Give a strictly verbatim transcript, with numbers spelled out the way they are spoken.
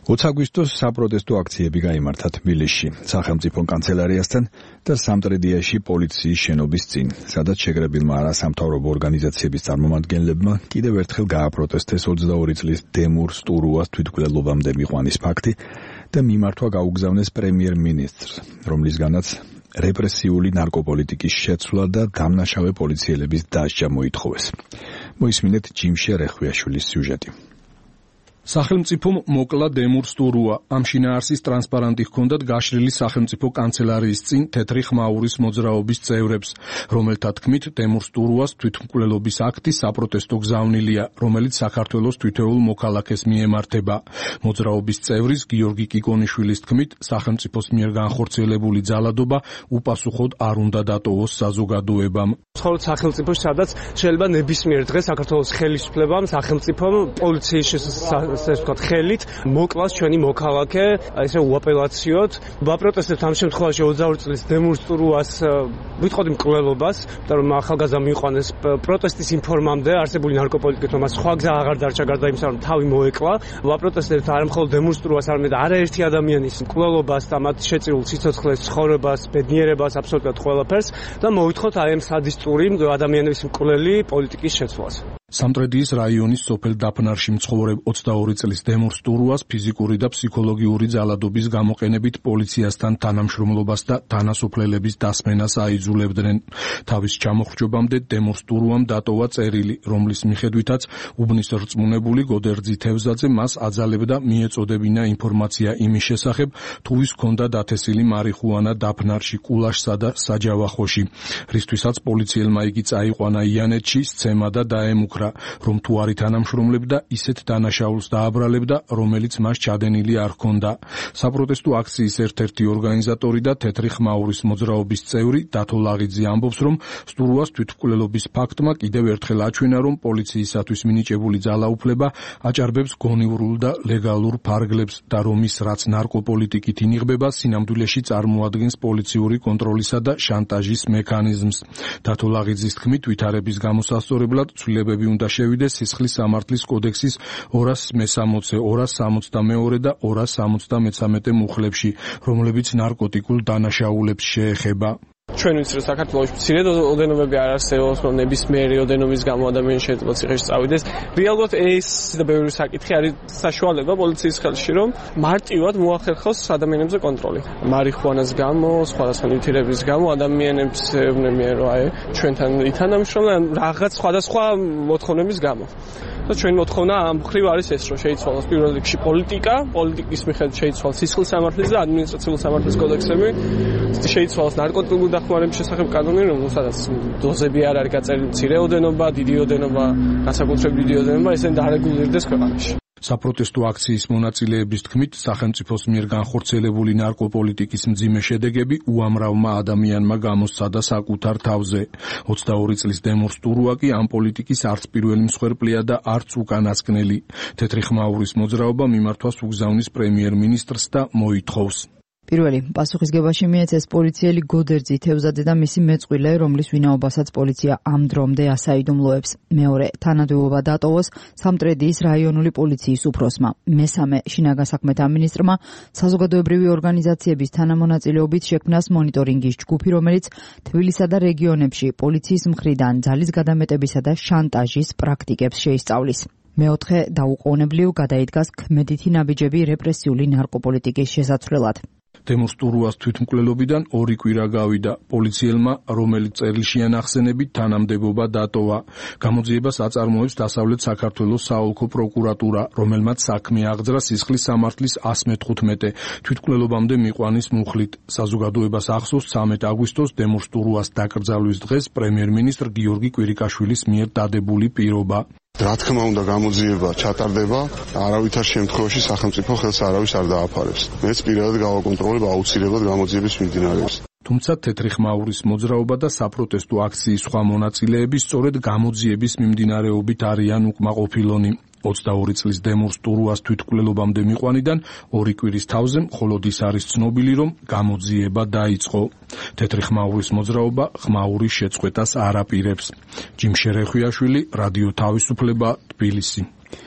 ოცი აგვისტოს საპროტესტო აქციები გაიმართა თბილისში, სახელმწიფო კანცელარიასთან და სამტრედიაში პოლიციის შენობის წინ, სადაც შეკრებილმა არასამთავრობო ორგანიზაციების წარმომადგენლებმა კიდევ ერთხელ გააპროტესტეს ოცდაორი წლის დემურ სტურუას თვითმკვლელობამდე მიყვანის ფაქტი და მიმართვა გაუგზავნეს პრემიერ-მინისტრს, რომლისგანაც რეპრესიული ნარკოპოლიტიკის შეცვლა და დამნაშავე პოლიციელების დასჯა მოითხოვეს. მოისმინეთ ჯიმშე რეხვიაშვილის სიუჟეტი. სახელმწიფომ მოკლა დემურ სტურუა. ამ შინაარსის ტრანსპარანტი ჰქონდათ გაშლილი სახელმწიფო კანცელარიის წინ თეთრი ხმაურის მოძრაობის წევრებს, რომელთა თქმით დემურ სტურუას თვითმკვლელობის აქტი საპროტესტო გზავნილია, რომელიც საქართველოს თითოეულ მოქალაქეს მიემართება. მოძრაობის წევრის გიორგი კიკონიშვილის თქმით, სახელმწიფოს მიერ განხორციელებული ძალადობა უპასუხოდ არ უნდა დატოვოს საზოგადოებამ. ცხოვრობთ სახელმწიფოში, სადაც შეიძლება ნებისმიერ დღეს საქართველოს ხელისუფლებამ, სახელმწიფომ, პოლიციის ასე ვთქვათ, ხელით მოკლას ჩვენი მოქალაქე, ესე უაპელაციოდ. ვაპროტესტებთ ამ შემთხვევაში ოცდაორი წლის დემურ სტურუას ვიტყოდი მკვლელობას, იმიტომ რომ ახალგაზრდა მიიყვანეს პროტესტის იმ ფორმამდე, არსებული ნარკოპოლიტიკით, რომ სხვა გზა აღარ დარჩა გარდა იმისა, რომ თავი მოეკლა. ვაპროტესტებთ არა მხოლოდ დემურ სტურუას, არამედ არაერთი ადამიანის მკვლელობას და მათ შეწირულ სიცოცხლეს, ცხოვრებას, ბედნიერებას, აბსოლუტურად ყველაფერს და მოვითხოვთ აი ამ სადისტური ადამიანების მკვლელი პოლიტიკის შეცვლას. სამტრედიის რაიონის სოფელ დაფნარში მცხოვრებ ოცდაორი წლის დემურ სტურუას ფიზიკური და ფსიქოლოგიური ძალადობის გამოყენებით პოლიციასთან თანამშრომლობას და თანასოფლელების დასმენას აიძულებდნენ. თავის ჩამოხრჯობამდე დემურ სტურუამ დატოვა წერილი, რომლის მიხედვითაც უბნის რწმუნებული გოდერძი თევზაძე მას აძალებდა მიეწოდებინა ინფორმაცია იმის შესახებ, თუ ვის ჰქონდა დათესილი მარიხუანა დაფნარში, კულაშსა და საჯავახოში, რისთვისაც პოლიციელმა იგი წაიყვანა იანეთში, სცემა და დაემუქრა, რომ თუ არ ითანამშრომლებდა, ისეთ დანაშაულს დააბრალებდა, რომელიც მას ჩადენილი არ ჰქონდა. საპროტესტო აქციის ერთ-ერთი ორგანიზატორი და თეთრი ხმაურის მოძრაობის წევრი დათო ლაღიძე ამბობს, რომ სტურუას თვითმკვლელობის ფაქტმა კიდევ ერთხელ აჩვენა, რომ პოლიციისათვის მინიჭებული ძალაუფლება აჭარბებს გონივრულ და ლეგალურ ფარგლებს და რომ ის რაც ნარკოპოლიტიკით ინიღბება, სინამდვილეში წარმოადგენს პოლიციური კონტროლისა და შანტაჟის მექანიზმს. დათო ლაღიძის თქმით, ვითარების გამოსასწორებლად ცვლილებები უნდა შევიდეს სისხლის სამართლის კოდექსის ორასი მესამოცე, ორასი სამოცდამეორე და ორასი სამოცდამეცამეტე მუხლებში, რომლებიც ნარკოტიკულ დანაშაულებს შეეხება. ჩვენ ვიცით, რომ საქართველოში მცირე ოდენობები არ არსებობს, რომ ნებისმიერი ოდენობის გამო ადამიანი შეიძლება ციხეში წავიდეს. რეალურად ეს და ბევრი საკითხი არის საშუალება პოლიციის ხელში, რომ მარტივად მოახერხოს ადამიანებზე კონტროლი. მარიხუანას გამო, სხვადასხვა ნივთიერების გამო ადამიანებს ეუბნებიან, რომ აი ჩვენთან ითანამშრომლობენ რაღაც სხვადასხვა მოთხოვნების გამო. და ჩვენი მოთხოვნა ამ მხრივ არის ეს, რომ შეიცვალოს პირველ რიგში პოლიტიკა, პოლიტიკის მიხედვით შეიცვალოს სისხლის სამართლის და ადმინისტრაციული სამართლის კოდექსები, შეიცვალოს ნარკოტიკული დახმარების შესახებ კანონი, რომელსაც დოზები არ არის გაწერილი, მცირე ოდენობა, დიდი ოდენობა, განსაკუთრებით დიდი ოდენობა, ესენ დარეგულირდეს ქვეყანაში. საპროტესტო აქციის მონაწილეების თქმით, სახელმწიფოს მიერ განხორციელებული ნარკოპოლიტიკის მძიმე შედეგები უამრავმა ადამიანმა გამოსცადა საკუთარ თავზე. ოცდაორი წლის დემურ სტურუა კი ამ პოლიტიკის არც პირველი მსხვერპლია და არც უკანასკნელი. თეთრი ხმაურის მოძრაობა მიმართვას უგზავნის პრემიერ-მინისტრს და მოითხოვს. პირველი პასუხისგებაში მიეცეს პოლიციელი გოდერძი თევზაძე და მისი მეწყვილე, რომლის ვინაობასაც პოლიცია ამ დრომდე ასაიდუმლოებს. მეორე თანადოება დატოვოს სამტრედიის რაიონული პოლიციის უფროსმა. მესამე შინაგან საქმეთა მინისტრმა საზოგადოებრივი ორგანიზაციების თანამონაწილეობით შექმნას მონიტორინგის ჯგუფი, რომელიც თბილისსა და რეგიონებში პოლიციის მხრიდან ძალის გადამეტებისა და შანტაჟის პრაქტიკებს შეისწავლის. მეოთხე დაუყოვნებლივ გადაიდგას ქმედითი ნაბიჯები რეპრესიული ნარკოპოლიტიკის შესაცვლელად. დემურ სტურუას თვითმკვლელობიდან ორი კვირა გავიდა. პოლიციელმა, რომელიც წერილში ანახსენებით თანამდებობა დატოვა. გამოძიებას აწარმოებს დასავლეთ საქართველოს საოლქო პროკურატურა, რომელმაც საქმე აღძრა სისხლის სამართლის ასი მეთხუთმეტე თვითმკვლელობამდე მიყვანის მუხლით. საზოგადოებას ახსოვს ცამეტი აგვისტოს დემურ სტურუას დაკრძალვის დღეს პრემიერ-მინისტრ გიორგი კვირიკაშვილის მიერ დადებული პირობა. რა თქმა უნდა, გამოძიება ჩატარდება, არავითარ შემთხვევაში სახელმწიფო ხელს არავის არ დააფარებს. მეც პირადად გავაკონტროლებ აუცილებლად გამოძიების მიმდინარეობას. თუმცა თეთრი ხმაურის მოძრაობა და საპროტესტო აქციის სხვა მონაწილეები სწორედ გამოძიების მიმდინარეობით არიან უკმაყოფილონი. ოცდაორი წლის დემურ სტურუას თვითმკვლელობამდე მიყვანიდან ორი კვირის თავზე მხოლოდ ის არის ცნობილი, რომ გამოძიება დაიწყო. თეთრი ხმაურის მოძრაობა ხმაურის შეწყვეტას არ აპირებს. ჯიმშე რეხვიაშვილი, რადიო თავისუფლება, თბილისი.